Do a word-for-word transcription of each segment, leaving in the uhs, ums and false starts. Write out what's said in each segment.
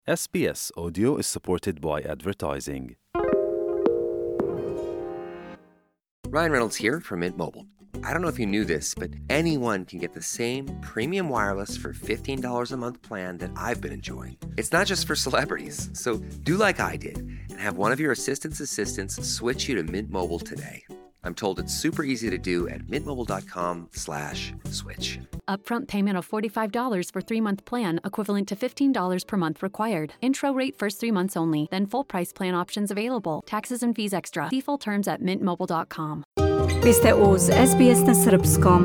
S B S Audio is supported by advertising. Ryan Reynolds here from Mint Mobile. I don't know if you knew this, but anyone can get the same premium wireless for fifteen dollars a month plan that I've been enjoying. It's not just for celebrities, so do like I did and have one of your assistant's assistants switch you to Mint Mobile today. I'm told it's super easy to do at mintmobile.com slash switch. Upfront payment of forty-five dollars for three-month plan, equivalent to fifteen dollars per month required. Intro rate first three months only, then full price plan options available. Taxes and fees extra. See full terms at mint mobile dot com. Vi ste uz S B S na srpskom.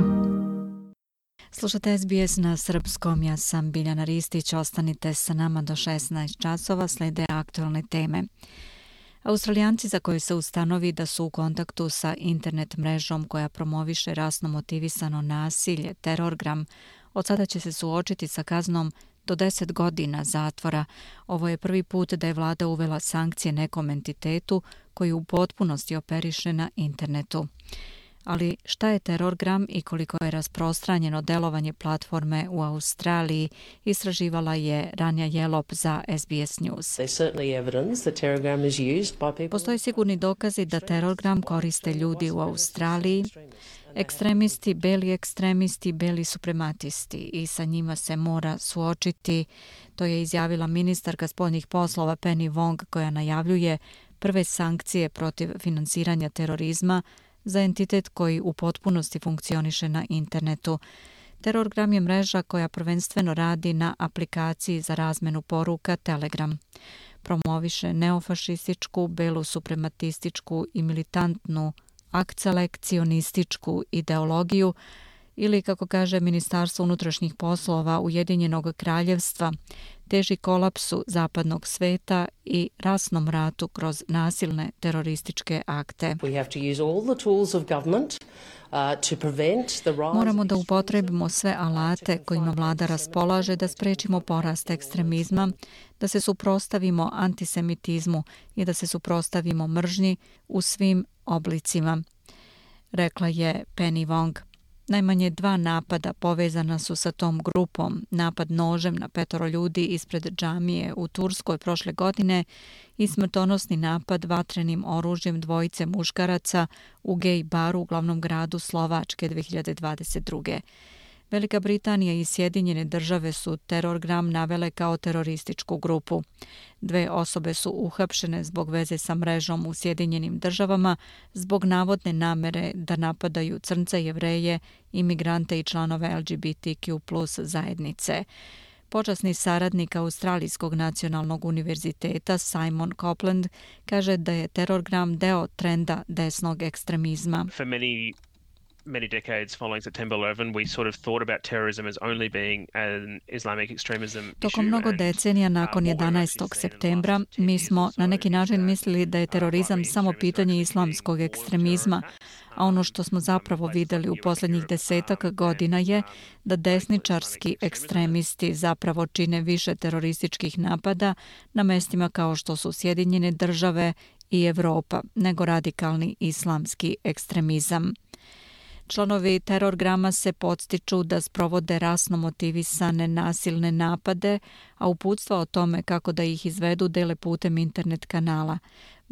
Slušate S B S na srpskom, ja sam Biljana Ristić, ostanite sa nama do šesnaest časova, slede aktualne teme. Australijanci za koje se ustanovi da su u kontaktu sa internet mrežom koja promoviše rasno motivisano nasilje, Terorgram, od sada će se suočiti sa kaznom do deset godina zatvora. Ovo je prvi put da je vlada uvela sankcije nekom entitetu koji u potpunosti operiše na internetu. Ali šta je Terorgram i koliko je rasprostranjeno delovanje platforme u Australiji, istraživala je Ranja Jelop za S B S News. Postoje sigurni dokazi da Terorgram koriste ljudi u Australiji, ekstremisti, beli ekstremisti, beli suprematisti, i sa njima se mora suočiti. To je izjavila ministarka spoljnih poslova Penny Wong, koja najavljuje prve sankcije protiv finansiranja terorizma za entitet koji u potpunosti funkcioniše na internetu. Terorgram je mreža koja prvenstveno radi na aplikaciji za razmenu poruka Telegram. Promoviše neofašističku, belu suprematističku i militantnu akcelekcionističku ideologiju, ili, kako kaže Ministarstvo unutrašnjih poslova Ujedinjenog kraljevstva, teži kolapsu zapadnog sveta i rasnom ratu kroz nasilne terorističke akte. Moramo da upotrebimo sve alate kojima vlada raspolaže da sprečimo porast ekstremizma, da se suprotstavimo antisemitizmu i da se suprotstavimo mržnji u svim oblicima, rekla je Penny Wong. Najmanje dva napada povezana su sa tom grupom, napad nožem na petoro ljudi ispred džamije u Turskoj prošle godine i smrtonosni napad vatrenim oružjem dvojice muškaraca u gej baru u glavnom gradu Slovačke dve hiljade dvadeset druge. Velika Britanija i Sjedinjene države su Terorgram navele kao terorističku grupu. Dve osobe su uhapšene zbog veze sa mrežom u Sjedinjenim državama zbog navodne namere da napadaju crnce, Jevreje, imigrante i članove L G B T Q plus zajednice. Počasni saradnik Australijskog nacionalnog univerziteta Simon Copeland kaže da je Terorgram deo trenda desnog ekstremizma. For many many decades following September eleventh, we sort of thought about terrorism as only being an Islamic extremism issue. Tokom mnogo decenija nakon jedanaestog septembra mi smo na neki način mislili da je terorizam samo pitanje islamskog ekstremizma, a ono što smo zapravo videli u posljednjih desetak godina je da desničarski ekstremisti zapravo čine više terorističkih napada na mestima kao što su Sjedinjene države i Evropa, nego radikalni islamski ekstremizam. Članovi Terorgrama se podstiču da sprovode rasno motivisane nasilne napade, a uputstva o tome kako da ih izvedu dele putem internet kanala.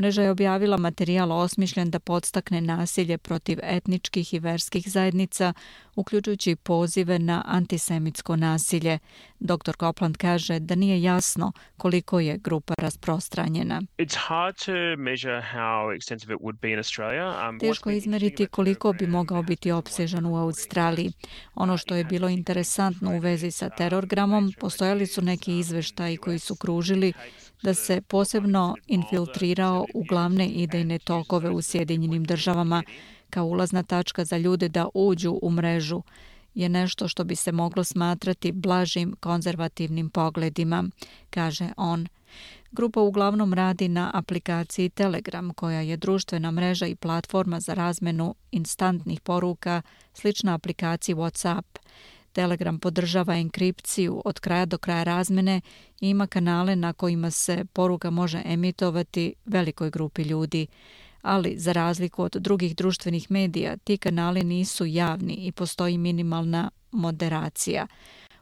Mreža je objavila materijal osmišljen da podstakne nasilje protiv etničkih i verskih zajednica, uključujući pozive na antisemitsko nasilje. doktor Copeland kaže da nije jasno koliko je grupa rasprostranjena. Teško je izmeriti koliko bi mogao biti opsežan u Australiji. Ono što je bilo interesantno u vezi sa Terorgramom, postojali su neki izveštaji koji su kružili da se posebno infiltrirao u glavne idejne tokove u Sjedinjenim državama kao ulazna tačka za ljude da uđu u mrežu, je nešto što bi se moglo smatrati blažim konzervativnim pogledima, kaže on. Grupa uglavnom radi na aplikaciji Telegram, koja je društvena mreža i platforma za razmenu instantnih poruka, slična aplikaciji WhatsApp. Telegram podržava enkripciju od kraja do kraja razmene i ima kanale na kojima se poruka može emitovati velikoj grupi ljudi. Ali, za razliku od drugih društvenih medija, ti kanali nisu javni i postoji minimalna moderacija.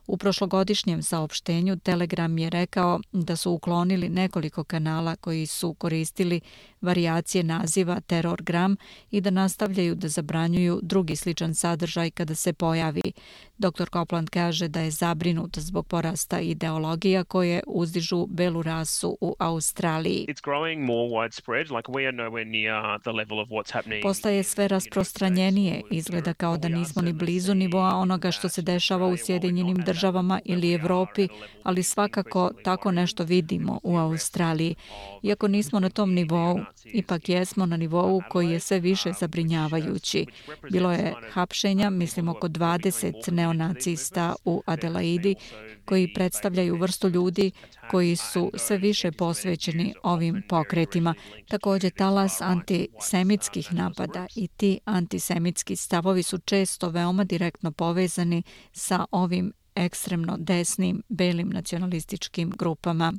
U prošlogodišnjem saopštenju Telegram je rekao da su uklonili nekoliko kanala koji su koristili varijacije naziva Terrorgram i da nastavljaju da zabranjuju drugi sličan sadržaj kada se pojavi. doktor Copeland kaže da je zabrinut zbog porasta ideologija koje uzdižu belu rasu u Australiji. Postaje sve rasprostranjenije, izgleda kao da nismo ni blizu nivoa onoga što se dešava u Sjedinjenim državama ili Evropi, ali svakako tako nešto vidimo u Australiji. Iako nismo na tom nivou, ipak jesmo na nivou koji je sve više zabrinjavajući. Bilo je hapšenja, mislim oko dvadeset neonacista u Adelaidi, koji predstavljaju vrstu ljudi koji su sve više posvećeni ovim pokretima. Također talas antisemitskih napada i ti antisemitski stavovi su često veoma direktno povezani sa ovim ekstremno desnim belim nacionalističkim grupama.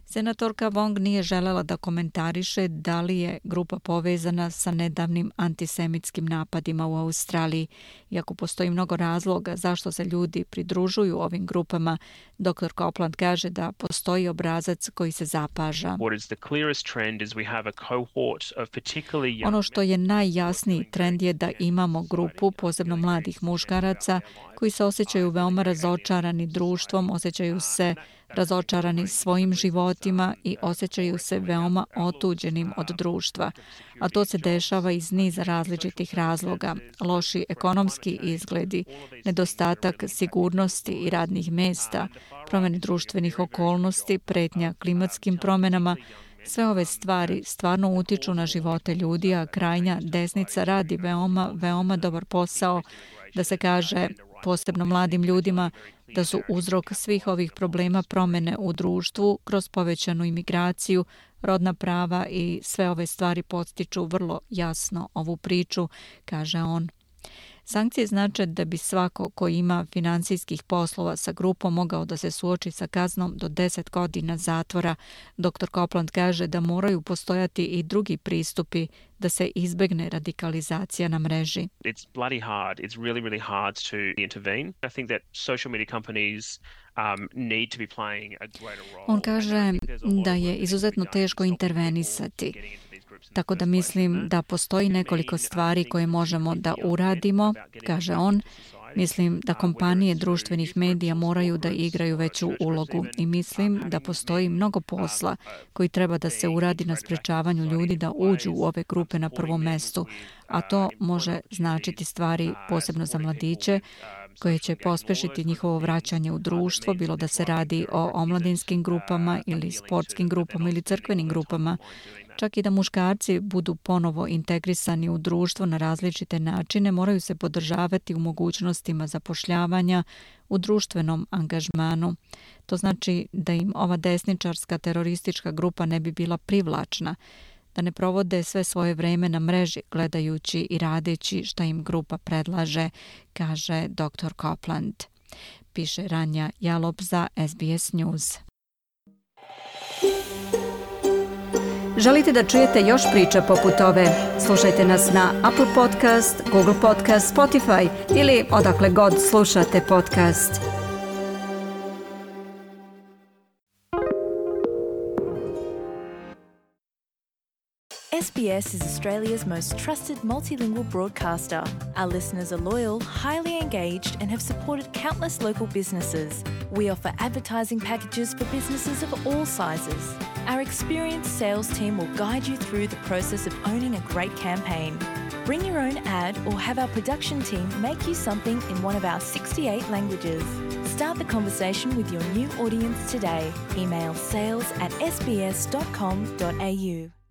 Senatorka Wong nije želela da komentariše da li je grupa povezana sa nedavnim antisemitskim napadima u Australiji. Iako postoji mnogo razloga zašto se ljudi pridružuju ovim grupama, doktor Copeland kaže da postoji obrazac koji se zapaža. Ono što je najjasniji trend je da imamo grupu, posebno mladih muškaraca, koji se osjećaju veoma razočarani društvom, osjećaju se razočarani svojim životima i osjećaju se veoma otuđenim od društva. A to se dešava iz niza različitih razloga. Loši ekonomski izgledi, nedostatak sigurnosti i radnih mesta, promjene društvenih okolnosti, pretnja klimatskim promjenama. Sve ove stvari stvarno utiču na živote ljudi, a krajnja desnica radi veoma, veoma dobar posao da se kaže posebno mladim ljudima da su uzrok svih ovih problema promjene u društvu kroz povećanu imigraciju, rodna prava i sve ove stvari podstiču vrlo jasno ovu priču, kaže on. Sankcije znače da bi svako ko ima finansijskih poslova sa grupom mogao da se suoči sa kaznom do deset godina zatvora. doktor Copeland kaže da moraju postojati i drugi pristupi da se izbegne radikalizacija na mreži. It's bloody hard. It's really, really hard to intervene. I think that social media companies um, need to be playing a greater role. On kaže da je izuzetno teško intervenisati. Tako da mislim da postoji nekoliko stvari koje možemo da uradimo, kaže on. Mislim da kompanije društvenih medija moraju da igraju veću ulogu i mislim da postoji mnogo posla koji treba da se uradi na sprečavanju ljudi da uđu u ove grupe na prvom mestu, a to može značiti stvari posebno za mladiće koje će pospešiti njihovo vraćanje u društvo, bilo da se radi o omladinskim grupama ili sportskim grupama ili crkvenim grupama. Čak i da muškarci budu ponovo integrisani u društvo na različite načine, moraju se podržavati u mogućnostima zapošljavanja, u društvenom angažmanu. To znači da im ova desničarska teroristička grupa ne bi bila privlačna, da ne provode sve svoje vreme na mreži gledajući i radeći šta im grupa predlaže, kaže doktor Copeland. Piše Ranja Jalop za S B S News. Želite da čujete još priča poput ove? Slušajte nas na Apple Podcast, Google Podcast, Spotify ili odakle god slušate podcast. S B S is Australia's most trusted multilingual broadcaster. Our listeners are loyal, highly engaged, and have supported countless local businesses. We offer advertising packages for businesses of all sizes. Our experienced sales team will guide you through the process of owning a great campaign. Bring your own ad or have our production team make you something in one of our sixty-eight languages. Start the conversation with your new audience today. Email sales at s b s dot com dot a u.